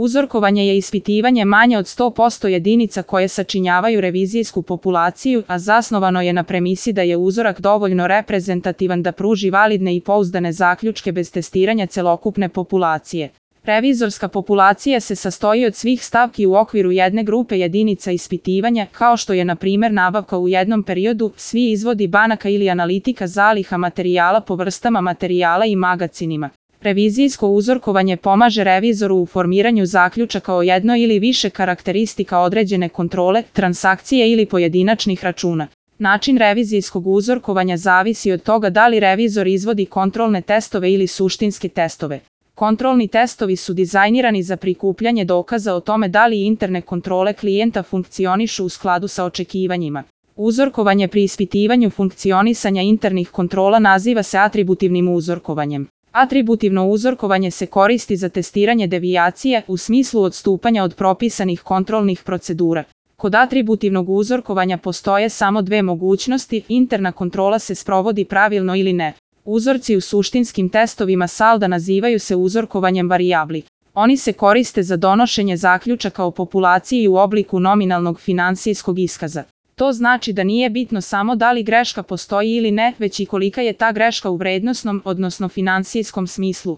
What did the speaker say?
Uzorkovanje je ispitivanje manje od 100% jedinica koje sačinjavaju revizijsku populaciju, a zasnovano je na premisi da je uzorak dovoljno reprezentativan da pruži validne i pouzdane zaključke bez testiranja celokupne populacije. Revizorska populacija se sastoji od svih stavki u okviru jedne grupe jedinica ispitivanja, kao što je na primjer nabavka u jednom periodu, svi izvodi banaka ili analitika zaliha materijala po vrstama materijala i magacinima. Revizijsko uzorkovanje pomaže revizoru u formiranju zaključaka o jednoj ili više karakteristika određene kontrole, transakcije ili pojedinačnih računa. Način revizijskog uzorkovanja zavisi od toga da li revizor izvodi kontrolne testove ili suštinske testove. Kontrolni testovi su dizajnirani za prikupljanje dokaza o tome da li interne kontrole klijenta funkcionišu u skladu sa očekivanjima. Uzorkovanje pri ispitivanju funkcionisanja internih kontrola naziva se atributivnim uzorkovanjem. Atributivno uzorkovanje se koristi za testiranje devijacije u smislu odstupanja od propisanih kontrolnih procedura. Kod atributivnog uzorkovanja postoje samo dve mogućnosti: interna kontrola se sprovodi pravilno ili ne. Uzorci u suštinskim testovima salda nazivaju se uzorkovanjem varijabli. Oni se koriste za donošenje zaključaka o populaciji u obliku nominalnog finansijskog iskaza. To znači da nije bitno samo da li greška postoji ili ne, već i kolika je ta greška u vrednosnom, odnosno finansijskom smislu.